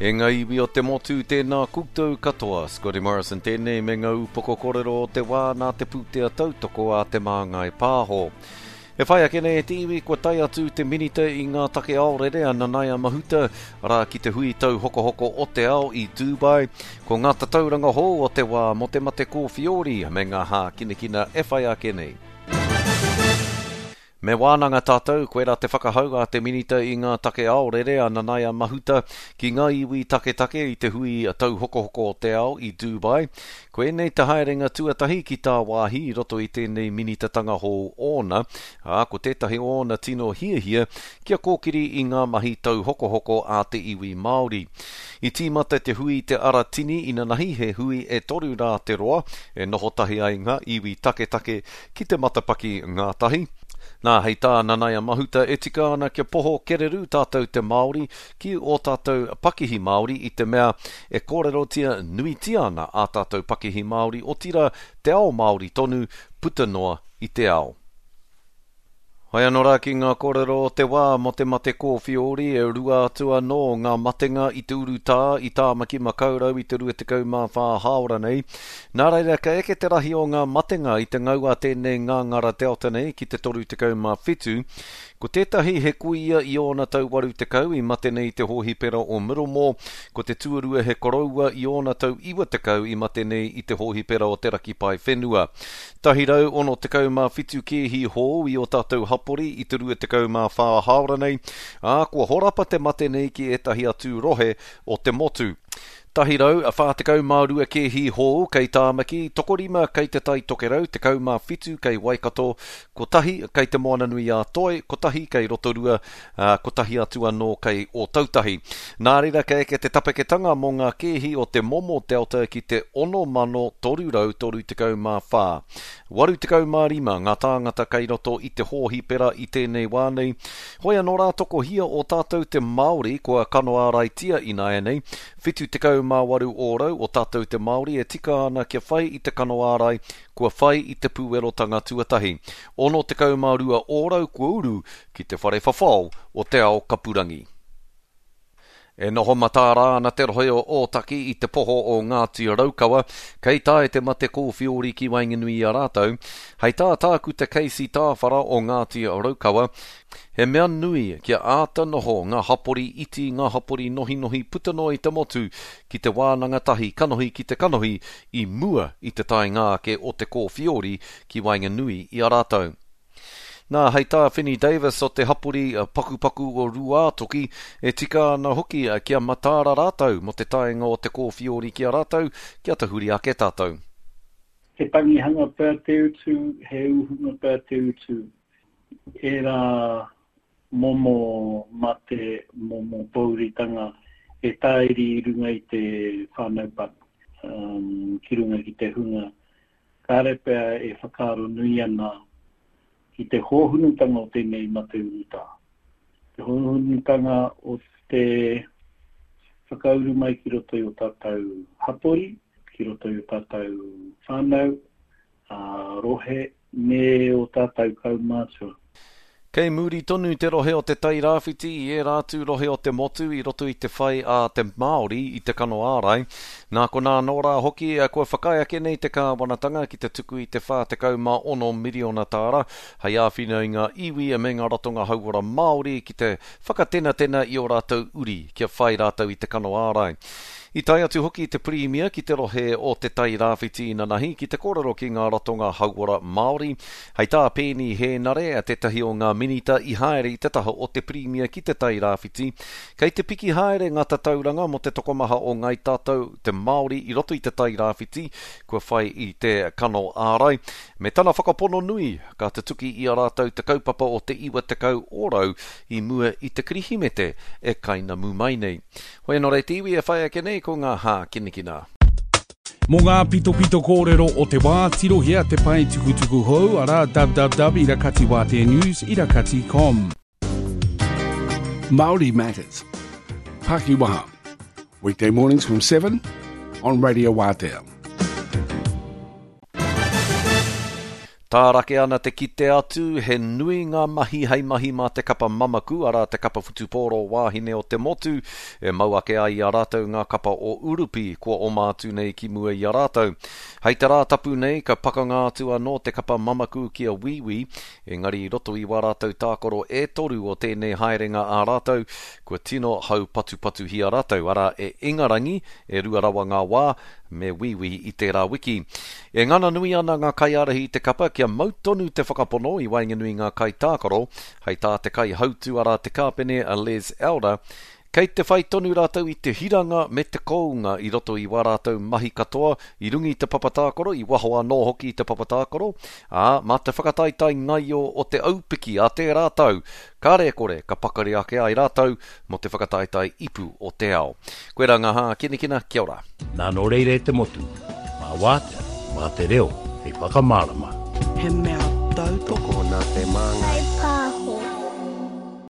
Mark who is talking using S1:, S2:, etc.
S1: E ngā iwi o te motu, tēnā koutou katoa. Scotty Morrison tēnei me ngā upoko korero o te wā nā te pūtea tautoko a Te Māngai Pāho. E whai ake nei e te iwi kua tae atu te Minita i ngā take aorere a Nanaia Mahuta, arā ki te hui tauhokohoko o te ao i Dubai. Ko ngā tatauranga hou o te wā mō te mate kōwhiori me ngā hākinakina e whai ake nei. Me wānanga tātou, koirā te whakahau a te Minita i ngā take aorere a Nanaia Mahuta ki ngā iwi taketake i te hui tauhokohoko o te ao i Dubai. Koinei te haerenga tuatahi ki tāwāhi i roto i tēnei minitatanga hou ōna, ā, ko tētahi o ōna tino hiahia kia kōkiri i ngā mahi tauhokohoko a te iwi Māori. I tīmata te hui Te Ara Tini inanahi, he hui e toru rā te roa, e noho tahi ai ngā iwi taketake ki te matapaki ngātahi. Nā, hei tā Nanaia Mahuta, e tika ana kia poho kererū tātou te Māori ki ō tātou pakihi Māori i te mea e kōrerotia nuitia ana ā tātou pakihi Māori, otirā te ao Māori tonu puta noa i te ao. Hai anō rā ki ngā kōrero o te wā mō te mate kōwhiori, e rua atu anō ngā matenga i te urutā i Tāmaki Makaurau i te 24 hāora nei. Nā reira, ka eke te rahi o ngā matenga i te ngau a tēnei ngāngara Delta nei ki te 37. Ko tētahi he kuia i ōna tau 80 i mate nei i te hōhipera o Middlemore, ko te tuarua he koroua i ōna tau 90 i mate nei i te hōhipera o Te Raki Paewhenua. 167 kēhi hou i ō tātou hapori i te 24 hāora nei, ā, kua horapa te mate nei ki ētahi atu rohe o te motu. 142 kēhi hou kei Tāmaki, tokorima kei Te Tai Tokerau, 17 kei Waikato, kotahi kei Te Moananui-a-Toi, kotahi kei Rotorua, ā, kotahi atu anō kei Ōtautahi. Nā reira ka eke te tapeketanga mō ngā kēhi o te momo Delta ki te 6,334. 85 ngā tāngata kei roto i te hōhipera i tēnei wā nei. Hoi anō rā tokohia o tātou te Māori kua kano āraitia ināianei, 78 ōrau o tātou te Māori e tika ana kia whai i te kano ārai kua whai i te pūerotanga tuatahi. 62 ōrau kua uru ki te whare whawhao o te ao kapurangi. E noho mataara ana te rohe o Ōtaki i te poho o Ngāti Raukawa, kei tae te mate kōwhiori ki waenganui i a rātou. Hei tā Tākuta Casey Tāwhara o Ngāti Raukawa, he mea nui kia āta noho ngā hapori iti, ngā hapori nohinohi puta noa i te motu ki te wānanga tahi kanohi ki te kanohi i mua i te taenga ake o te kōwhiori ki waenganui i a rātou. Nā, hei tā Fini Davis o te hapori pakupaku o Rūātoki, e tika ana hoki kia mataara rātou mō te taenga o te kōwhiori ki a rātou, kia tahuri ake tātou.
S2: He tangihanga pea te utu, he uhunga pea te utu, ērā momo mate, momo pōuritanga e tāiri i runga i te whānau paku, ki runga ki te hunga Kāre pea e whakaaro nui ana ki te hōhunutanga o tēnei mate urutā. Te hōhunutanga o te whakauru mai ki roto i o tātou hapori, ki roto i o tātou whānau, rohe, me o tātou kaumātua.
S1: Kei muri tonu te rohe o Te Tai Rāwhiti i ērā atu rohe o te motu i roto i te whai a te Māori i te kano ārai. Nā konā anō rā hoki kua whakaae ake nei te kāwanatanga ki te tuku i te 46 miriona tāra hei āwhina i ngā iwi me ngā ratonga hauora Māori ki te whakatenatena i ō rātou uri kia whai rātou i te kano ārai. I tae atu hoki te Pirimia ki te rohe o Te Tai Rāwhiti inanahi ki te kōrero ki ngā ratonga hauora Māori. Hei tā Peeni Hēnare, tētahi o ngā minita i haere i te taha o te Pirimia ki Te Tai Rāwhiti, kei te piki haere ngā tatauranga mō te tokomaha o Ngāi Tātou, te Māori i roto i Te Tai Rāwhiti, kua whai i te kano ārai, me tana whakapono nui, ka tutuki i a rātou te kaupapa o te 90% i mua i te Kirihimete e kainamu mai nei. Hoi anō rei te iwi e whai ake nei ko ngā hākinakina.
S3: Mō ngā pitopito kōrero o te wā, tirohia te pae tukutuku hou, arā, www irakati wātea news irakati com.
S4: Māori Matters. Pakiwaha. Weekday mornings from 7 on Radio Wātea.
S1: Tārake ana te kite atu, he nui ngā mahi hei mahi mā te kapa mamaku, arā te kapa whutupōro wāhine o te motu, e mau ake ai i a rātou ngā kapa o Urupi kua oma atu nei ki mua i a rātou. Hei te Rātapu nei ka pakanga atu anō te kapa mamaku ki a Wīwī, engari i roto i wā rātou tākaro e toru o tēnei haerenga ā rātou, kua tino haupatupatuhia rātou, arā e Ingarangi, e rua rawa ngā wā, me Wīwī i tērā wiki. E ngana nui ana ngā kaiārahi i te kapa kia mau tonu te whakapono i waenganui i ngā kaitākaro, hei tā te kaihautū arā te kāpene a Les Elder, kei te whai tonu rātou i te hiranga me te kounga i roto i wā rātou mahi katoa i runga i te papa tākaro, i waho anō hoki i te papa tākaro, ā, mā te whakataetae ngaio o te aupiki a tērā tau, Kāre e kore, ka pakari ake ai rātou mō te whakataetae ipu o te ao. Koirā ngā hākinakina, kia ora.
S5: Nā nō reira e te motu, mā Wātea, mā te reo hei whakamārama.
S6: He mea tautoko.
S7: Tokona te māngai.